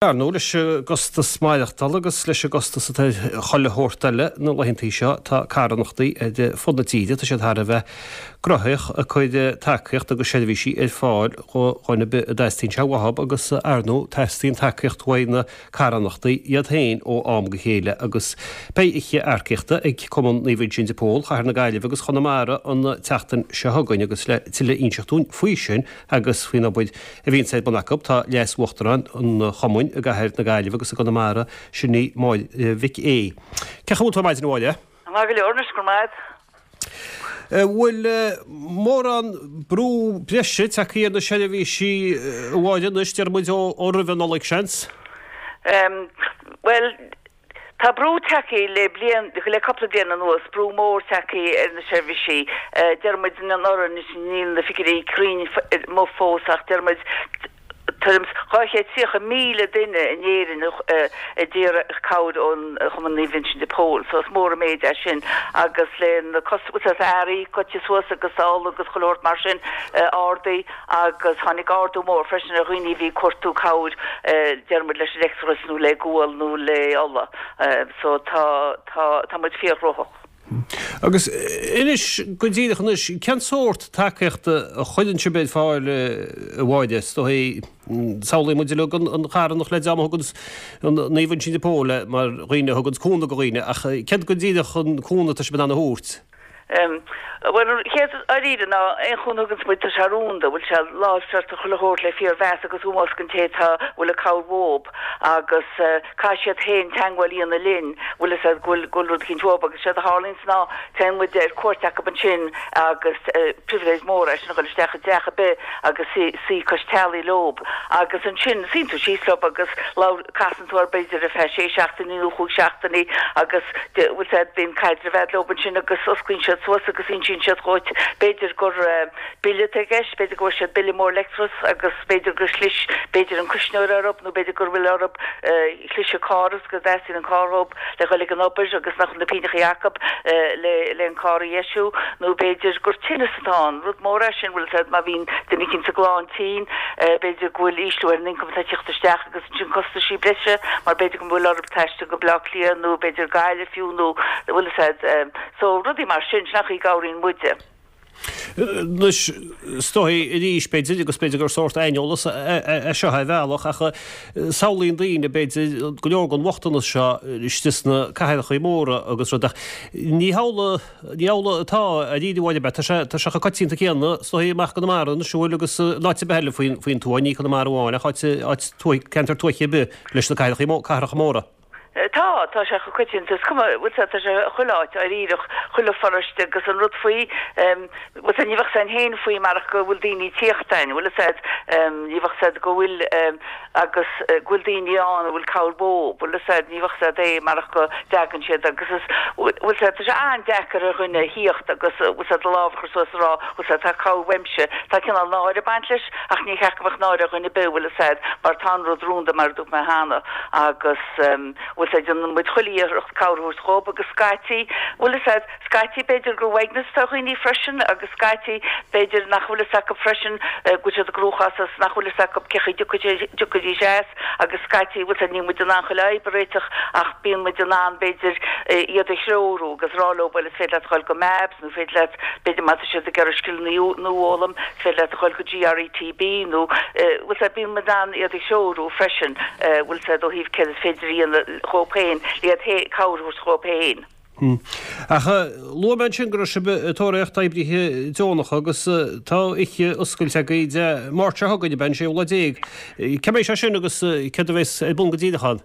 Ar ndóigh, leis an gcostas maireachtála agus leis an gcostas atá ar chuile shórt eile na laethantaí seo, tá carthanachtaí ar fud na tíre, tá siad thar a bheith gnoitheach ag cur tacaíocht agus seirbhísí ar fáil do dhuine ar bith a dteastaíonn sé uathub agus, ar ndóigh, teastaíonn tacaíocht uaidh na carthanachtaí iad féin ó am go chéile agus beidh oíche earcaíochta ag Cumann Naomh Uinseann de Pól, Chathair na Gaillimhe agus Chonamara an tseachtain seo chugainn agus le tuilleadh a inseacht dúinn faoi sin agus faoin obair a bhíonns ar bun acu. Tá Leas-Uachtarán an Chumainn i gCathair na Gaillimhe agus i gConamara, sin í Máire Mhic Aoidh. Cén chaoi a bhfuil tú ar maidin a Mháire? Maith go leor anois, go raibh maith agat. Bhfuil mórán brú breise tagtha ar na seirbhísí a Mháire anois, déarfaidh muid ó roimh an Nollaig seans? Bhuel, Tá brú tagtha le bliain, le cúpla bliain anuas, brú mór tagtha ar na seirbhísí. Deir muid anuraidh, anois níl na figiúirí cruinn amuigh fós ach deir muid tuairim is 230,000 duine in Éirinn a d'iarr cabhair ón Chumann Naomh Uinseann de Pól. So is mór an méid é sin agus le na costais earraí goite suas agus ola agus chuile shórt mar sin ardaithe. agus tháinig ardú mór freisin ar dhaoine a bhí ag cuartú cabhair, deir muid, leis an leictreachas nó le gual nó le ola. So tá, tá, tá muid fíorghnóthach. Agus inis go díreach anois, cén sórt tacaíochta a chuireann sibh ar fáil a Mháire? Is dóigh, samhlaíonn muid uilig an charthanacht le dream a thuganns an Naomh Uinseann de Pól mar dhaoine a thuganns cúnamh do dhaoine, ach céard go díreach an cúnamh atá sibh in ann a thabhairt? Bhuel, an chéad dáiríre ná aon chúnamh a thuganns muid, tá sé rúnda, bhfuil sé láimhseáilte chuile shórt le fíormheas agus ómós don té atá, bhfuil an cabhair uathub agus caithfidh siad féin teangmháil a dhéanamh linn, bhfuil fhios a'd, go bhfuil, go bhfuil rud eicínt uathub agus séard a tharlaíonns ná téann muid ar cuairt acub ansin agus pribhléid mhór é sin a dhul isteach i dteach ar bith agus suí, suí cois teallaigh leob agus ansin suíonn tú síos leob agus labhair, casann tú orthu b'fhéidir ar feadh sé seachtainí nó chúig seachtainí agus bhfuil fhios a'd bíonn caidreamh a'd leob ansin agus osclaíonn siad suas agus insíonn siad dhuit b'fhéidir gur bille atá i gceist, b'fhéidir go bhfuair siad bille mór leictreachais agus b'fhéidir gur chlis b'fhéidir an cuisneoir orthu nó b'fhéidir gur bhfuil orthu chlis an carr agus go dteastaíonn an carr dhób le dhul ag an obair agus nach bhfuil na pingneachaí acu le le an carr a dheisiú nó b'fhéidir gur tinneas atá ann, rud mór é sin bhfuil fhios a'd má bhíonn duine eicínt sa gclann tinn b'fhéidir go bhfuil ísliú ar an ioncam atá ag teacht isteach agus ansin costaisí breise mar b'fhéidir go bhfuil orthu taisteal go Baile Átha Cliath nó b'fhéidir Gaillimh fiú nó bhfuil fhios a'd so rudaí mar sin, sin an chaoi a gcabhraíonn muide. Anois, is dóigh arís, b'fhéidir, agus b'fhéidir gur sórt aineolas é seo ar bhealach, ach samhlaíonn daoine, b'fhéidir, go leor den bhochtanas seo istigh sna cathracha móra agus rud, ach ní hamhlaidh, ní hamhlaidh atá dáiríre a Mháire, tá sé, tá sé chomh coitianta céanna, is dóigh, amach i gConamara anois, an bhfuil, agus in áit ar bith eile faoin, faoin tuath, ní Conamara amháin, ach áit, áit tuaithe, ceantar tuaithe ar bith leis na cathracha, cathracha móra. Tá, tá sé chomh coitianta, is cuma, bhfuil fhios a'd, tá sé chuile áit, dáiríreach, chuile pharóiste agus an rud faoi, bhfuil fhios a'd, ní bheadh fhios a'inn féin faoi marach go bhfuil daoine ag tíocht a'inn, bhfuil fhios a'd, ní bheadh fhios a'd go bhfuil, agus go bhfuil daoine ann a bhfuil cabhair uathu, bhfuil fhios a'd, ní bheadh fhios a'd é marach go dtagann siad agus is, bhfuil fhios a'd, tá sé an-deacair ar dhuine a thíocht agus, bhfuil fhios a'd, a lámh a chur suas a rá, bhfuil fhios a'd, tá cabhair uaimse, tá cineál náire ag baint leis ach ní cheart go mbeadh náire ar dhuine ar bith, bhfuil fhios a'd, mar tá an rud rúnda mar a dúirt mé cheana. Agus, bhfuil fhios a'd, déanann muid chuile iarracht cabhair a thabhairt dhób agus scaití, bhfuil fhios a'd, scaití b'fhéidir gur uaigneas atá ar dhaoine freisin agus scaití b'fhéidir nach bhfuil fhios acu freisin go bhfuil siad i gcruachás agus nach bhfuil fhios acu cé chaoi dtiocfaidís as agus scaití, bhfuil fhios a'd, níl muid in ann chuile fhadhb a réiteach ach bíonn muid in ann b'fhéidir iad a threorú agus rá leo bhuel is féidir leat a dhul go MABS, Nó féidir leat, b'fhéidir má tá siad ag iarraidh scileanna nua a fhoghlaim, is féidir leat a dhul go GRETB nó, bhfuil fhios a'd, bíonn muid in ann iad a threorú freisin, bhfuil fhios a'd, ó thaobh céard is féidir a dhéanamh dhóibh féin, le iad féin, cabhair a thabhairt dhóibh féin. Ach luaigh mé ansin go raibh sibh ag tóraíocht oibrithe deonacha agus tá oíche oscailte agaibh Dé Máirt seo chugainn, ab ea, an séú lá déag. Cén mbeidh sé sin agus céard a bheas ar bun go díreach ann?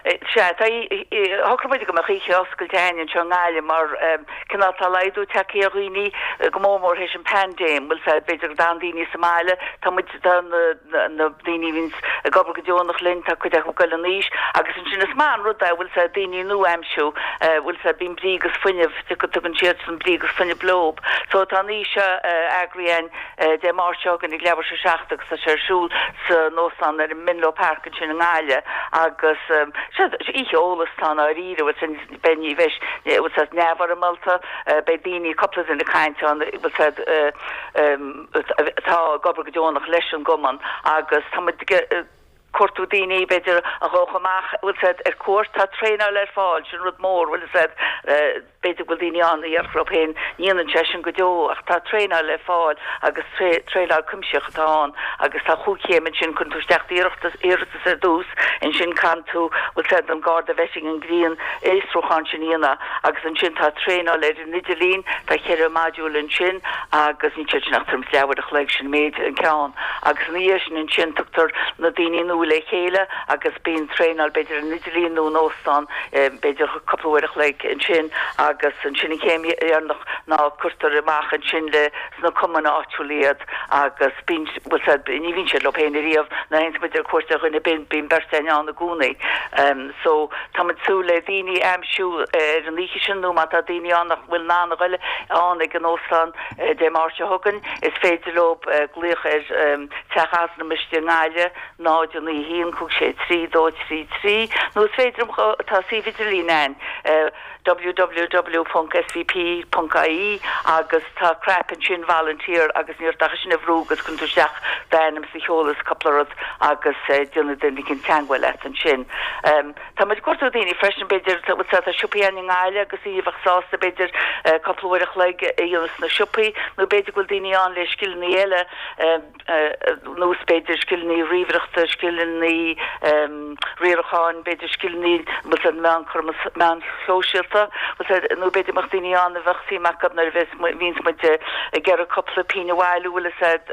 Sea, tá, shocraigh muid go mbeadh oíche oscailte againn anseo i nGaillimh mar cineál tá laghdú tagtha ar dhaoine go mór mór théis an paindéim, bhfuil fhios a'd, b'fhéidir go dtagann daoine sa mbaile, tá muid, tá na daoine a bhíonns ag obair go deonach linn, tá cuid acu ag goil in aois agus ansin is maith an rud é, bhfuil fhios a'd, daoine nua a aimsiú, bhfuil fhios a'd, bíonn brí agus fuinneamh, tugann siadsan brí agus fuinneamh leob. So tá an oíche seo eagraithe againn Dé Máirt seo chugainn ag leathuair tar éis a 7 agus tá sé ar siúl san óstán ar an Menlo Park ansin i nGaillimh agus sea, oíche eolais atá ann dáiríre, bhfuil sin, beidh, ní bheidh, bhfuil fhios a'd, neamhfhoirmeálta, beidh daoine, cúpla duine ag caint ann, bhfuil fhios a'd, atá ag obair go deonach leis an gcumann agus tá muid ag. cuartú daoine, b'fhéidir, a ghabhfadh amach, bhfuil 's a'd, ar cuairt. Tá traenáil ar fáil, sin rud mór, bhfuil 's a'd. B'fhéidir go bhfuil daoine ann a dhéarfadh leo féin, ní dhéanann sé sin go deo, ach tá traenáil le fáil agus traenáil cuimsitheach atá ann agus tá chúig chéim ansin, cuireann tú isteach d'iarratas iarratas ar dtús, ansin caitheann tú, bhfuil 's a'd, an Garda Vetting an grinnfhiosrúchán sin a dhéanamh agus ansin tá traenáil ar an idirlíon, tá cheithre modúl ansin agus níl siad sin ach tuairim is leathuair a chloig, sin méid an ceann agus ina dhiaidh sin ansin tugtar na daoine nua le chéile agus bíonn traenáil b'fhéidir ar an idirlíon nó in óstán b'fhéidir cúpla uair a chloig ansin agus ansin an chéim dheireanach ná cuirtear amach ansin le sna cumainn áitiúla iad agus bíonn, bhfuil 's a'd, ní bhíonn siad leo féin ariamh, nuair a théanns muid ar cuairt ar dhuine bíonn, bíonn beirt againn ann i gcónaí. So tá muid ag súil le daoine a aimsiú ar an oíche sin nó má tá daoine ann nach bhfuil in ann a ghoil ann ag an óstán Dé Máirt seo chugainn is féidir leo glaoch ar Teach Altranais i nGaillimh 0 9 1 5 6 3 2 3 3 nó is féidir liom tá suíomh idirlín ann www.svp.ie agus tá cnaipe ansin volunteer agus ní ort ach é sin a bhrú agus cuireann tú isteach d'ainm is do sheoladh is cúpla rud agus déanfaidh duine eicínt teagmháil leat ansin. Tá muid ag cuartú daoine freisin b'fhéidir tá siopaí ann i nGaillimh agus daoine a bheadh sásta b'fhéidir cúpla uair a chloig a dhéanamh sna siopaí nó b'fhéidir go bhfuil daoine ann le scileanna eile nós b'fhéidir scileanna ríomhaireachta, scileanna riaracháin, b'fhéidir scileanna bhfuil 's a'd meán meáin shóisialta, bhfuil 's a'd, nó b'fhéidir go mbeadh daoine ann a bheadh suim acu nuair a bheas bhíonns muid ag iarraidh cúpla pingin a bhailiú, bhfuil 'fhios a'd,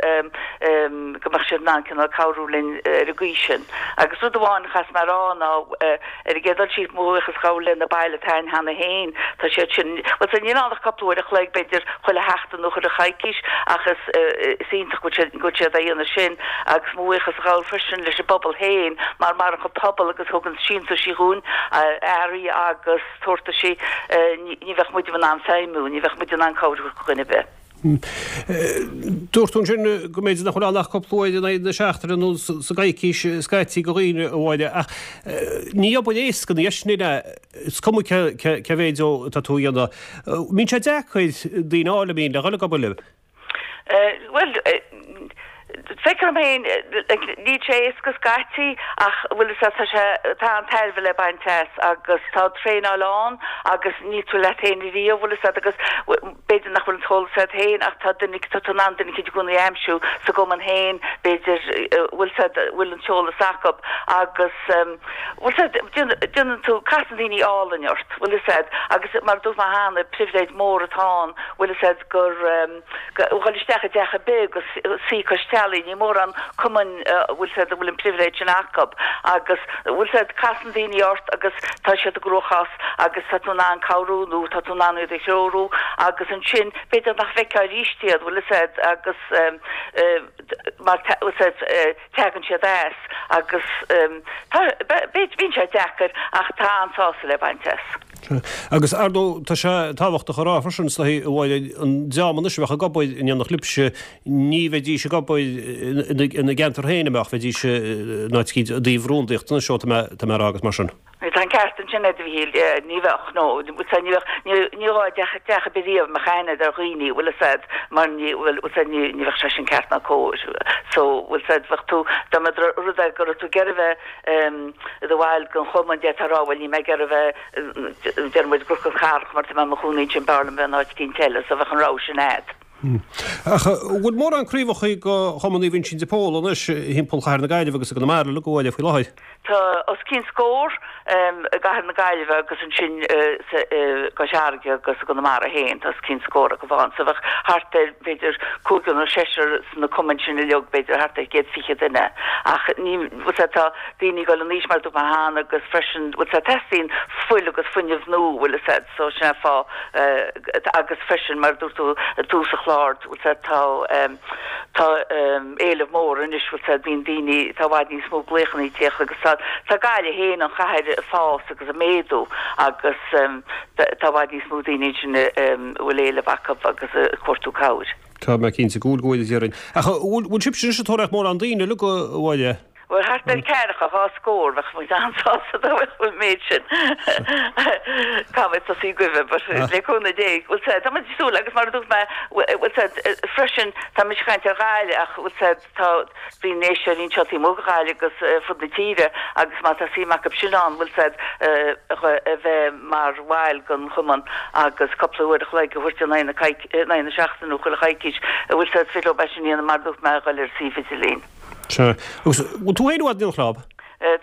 go mbeadh siad in ann cineál cabhrú linn ar an gcaoi sin. Agus rud amháin a chaithfeas mé a rá ná, Ar an gcéad dul síos, mo bhuíochas a ghabháil le na baill atá ann cheana féin. Tá siad sin, bhuel, sea, níl ann ach cúpla uair a chloig, b'fhéidir, chuile sheachtain nó chuile choicís, ach is, is iontach go bhfuil siad, go bhfuil siad á dhéanamh sin. Agus mo bhuíochas a ghabháil freisin leis an bpobal féin, mar maireann an pobal agus thugann síntiúisí dhúinn, earraí agus tabhartaisí, ní, ní bheadh muid in ann feidhmiú, ní bheadh muid in ann cabhrú le dhuine ar bith. Dúirt tú ansin go mb'fhéidir nach bhfuil ann ach cúpla uair in aghaidh na seachtaine nó sa gcoicís scaití do dhaoine, a Mháire, ach ní obair éasca í sin, is cuma cé mhéid atá tú a dhéanamh. Mbíonn sé deacair daoine a fháil, an mbíonn, le dhul ag obair libh? Bhuel, Feictear dom féin, níl sé éasca scaití ach bhfuil fhios a'd, tá sé, tá an-tairbhe le baint as agus tá traenáil ann agus níl tú leat féin riamh, bhfuil fhios a'd, agus b'fhéidir nach bhfuil an t-eolas a'd féin ach tá duine, tá tú in ann duine eicínt i gcónaí a aimsiú sa gcumann féin, b'fhéidir, bhfuil fhios a'd, bhfuil an t-eolas acu agus bhfuil fhios a'd, déanann tú, casann daoine álainn ort, bhfuil fhios a'd, agus mar a dúirt mé cheana, pribhléid mór atá ann, bhfuil fhios a'd, gur. dhul isteach i dteach ar bith agus suí cois teallaigh, ní mórán cumainn a bhfuil 's a'd a bhfuil an pribhléid sin acu agus bhfuil 's a'd casann daoine ort agus tá siad i gcruachás agus tá tú in ann cabhrú nó tá tú in ann iad a threorú agus ansin b'fhéidir nach bhfeicfeá arís iad bhfuil 's a'd agus mar bhfuil 's a'd teagann siad as agus tá bíonn sé deacair ach tá an-sásamh le baint as. Agus ar ndóigh tá sé tábhachtach a rá freisin, is dóigh, a Mháire, an dream anois a bheadh ag obair in éineacht libhse, ní bheidís ag obair ina gceantar féin, an mbeadh, bheidís in áit eicínt i dtaobh rúndaíochta anois, ó tá mé tá mé a rá agus mar sin. Tá an ceart ansin a'd a Mhíchíl, ní bheadh, no, ní bheadh, ní gá teach teach ar bith riamh a mbeadh aithne a'd ar dhaoine, bhfuil fhios a'd, mar ní, bhfuil fhios a'd, ní ní bheadh sé sin ceart ná cóir. So, bhfuil fhios a'd, bheadh tú, dá mbeadh rud é go raibh tú ag iarraidh bheith i do bhall den chumann, d'fhéadfá a rá, bhuel níl mé ag iarraidh bheith, deir muid, i gCnoc an Charrach mar tá mé i mo chónaí ansin, b'fhearr liom bheith in áit eicínt eile, so bheadh an rogha sin a'd. Ach an bhfuil mórán craobhacha de Chumann Naomh Uinseann de Pól anois thimpeall chathair na Gaillimhe agus i gConamara uilig, a Mháire, faoi láthair? Tá os cionn scór i gcathair na Gaillimhe agus ansin i gCois Fharraige agus i gConamara féin tá os cionn scór acu ann. So bheadh thart ar b'fhéidir cúigear nó seisear sna cumainn sin uilig, b'fhéidir thart ar 120 duine. Ach ní, bhfuil 's a'd, tá daoine ag dul in aois mar a dúirt mé cheana agus freisin, bhfuil 's a'd, teastaíonn fuil agus fuinneamh nua, bhfuil 'fhios a'd. So sin an fáth agus freisin mar a dúirt tú i dtús an chláir, bhfuil 's a'd, tá tá éileamh mór anois, bhfuil 's a'd, bíonn daoine, tá i bhfad níos mó glaochanna ag tíocht agus tá tá Gaillimh féin, an chathair, ag fás agus ag méadú agus tá i bhfad níos mó daoine ansin a bhfuil éileamh acu agus ag cuartú cabhair. Tá mé cinnte go bhfuil, go bhfuil, a déarfainn. Ach bhfuil sibhse anois ag tóraíocht mórán daoine uilig, a Mháire? Bhuel, thart ar ceathracha, dhá scór, bheadh muid an-sásta dá mbeadh an méid sin. Caithfidh mé tosaí roimhe, but le cúnamh Dé, bhfuil 's a'd, tá muid ag súil agus mar a dúirt mé, bhfuil 's a'd, freisin, tá mise ag caint ar Ghaillimh ach bhfuil 's a'd, tá bíonn éisteoirí anseo taobh amuigh de Ghaillimh agus ar fud na tíre agus má tá suim acu sin ann, bhfuil 's a'd, a bheith mar bhaill den chumann agus cúpla uair a chloig a thabhairt in aghaidh na seachtaine nó chuile choicís, bhfuil 's a'd, is féidir leo é sin a dhéanamh mar a dúirt mé, a dhul ar an suíomh idirlín. Sea. Agus bhfuil tú féin i bhfad in éineacht leob?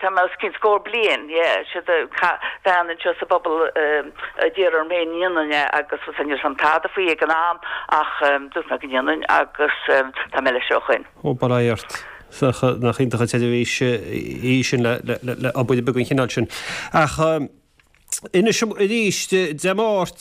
Tá mé os cionn scór bliain, yeah. Siad bean anseo sa bpobal a d'iarr orm féin an ndéanfainn é agus bhuel ní raibh 's a'm tada faoi ag an am ach dúirt mé go ndéanfainn agus tá mé leis ó shoin. Ó, bail ó Dhia ort. Nach iontach an tseirbhís í sin le obair beag den chineál sin. Ach. Inis arís, Dé Máirt,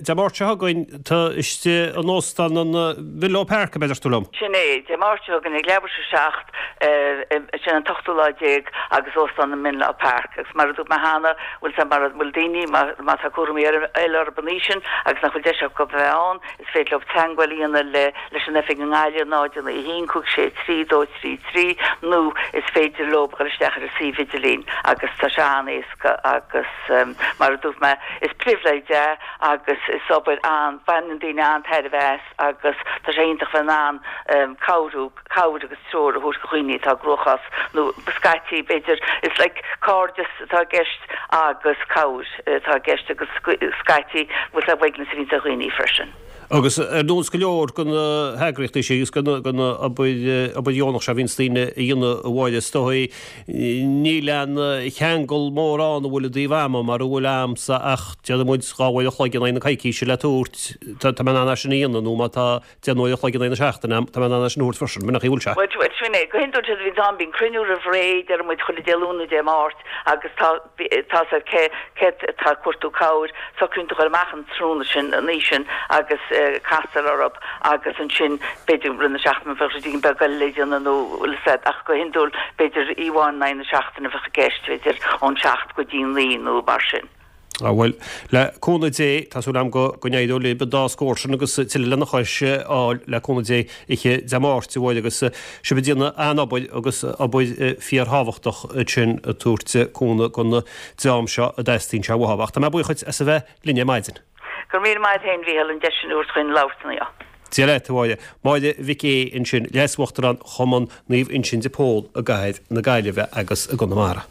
Dé Máirt seo chugainn, tá istigh in Óstán an Mhenlo Park, ab é a deir tú liom? Sin é, Dé Máirt seo chugainn ag leathuair tar éis a 7, sin an t-ochtú lá déag, agus Óstán an Menlo Park. Agus mar a dúirt mé cheana, bhfuil 's a'd mara bhfuil daoine, má tá cúramaí eile orthu an oíche sin agus nach bhfuil deis acu a bheith ann, is féidir leo teagmháil a dhéanamh le leis an oifig i nGaillimh, 0 9 1 5 6 3 2 3 3, nó is féidir leo dul isteach ar an suíomh idirlín agus tá sé an-éasca. agus mar a dúirt mé, is pribhléid é agus is obair an, baineann daoine an-tairbhe as agus tá sé iontach bheith in ann cabhrú, cabhair agus treoir a thabhairt do dhaoine atá i gcruachás nó scaití b'fhéidir, it's like cairdeas atá i gceist agus cabhair atá i gceist agus scaití bhfuil sé uaigneas a bhíonns ar dhaoine freisin. Agus ar nós go leor de na heagraíochtaí sin agus den obair dheonach seo a bhíonns daoine a dhéanamh a Mháire, is dóigh, níl aon cheangal mór ann an bhfuil i dtaobh ama, mara bhfuil a'msa ach déarfaidh muid 2 uair a chloig in aghaidh na coicíse le tabhairt, tá mé in ann é sin a dhéanamh, nó má tá 10 n-uair a chloig in aghaidh na seachtaine a'm, tá mé in ann é sin a thabhairt freisin, b'in an chaoi a bhfuil sé. Bhuel, sin é. Go hiondúil séard a bhíonns ann, bíonn cruinniú roimh ré, déarfaidh muid chuile Dé Luain nó Dé Máirt agus tá, tá 's a'd cé cé atá ag cuartú cabhair, socraíonn tú dhul amach an tráthnóna sin, an oíche sin agus castar orthu agus ansin b'fhéidir i rith na seachtaine bheadh rud éigin beag eile le déanamh nó bhfuil 'fhios a'd ach go hiondúil b'fhéidir oíche amháin in aghaidh na seachtaine a bheadh i gceist, b'fhéidir ón seacht go dtí naoi nó mar sin. Á bhuel, le cúnamh Dé, tá súil agam go go n-éireoidh libh an dá scór sin agus tuilleadh lena chois a fháil le cúnamh Dé oíche Dé Máirt, a Mháire, agus sibh ag déanamh an-obair agus obair fíorthábhachtach ansin ag tabhairt cúnamh don dream seo a dteastaíonn sé uathu. Ach tá mé buíoch dhuit as a bheith linn ar maidin. Go raibh míle maith a't féin, a Mhícheáil, an deis sin a thabhairt chuinn labhairt inniu. Dia leat, a Mháire. Máire Mhic Aodha ansin, Leas-Uachtarán Chumann Naomh Uinseann de Pól i gcathair na Gaillimhe agus i gConamara.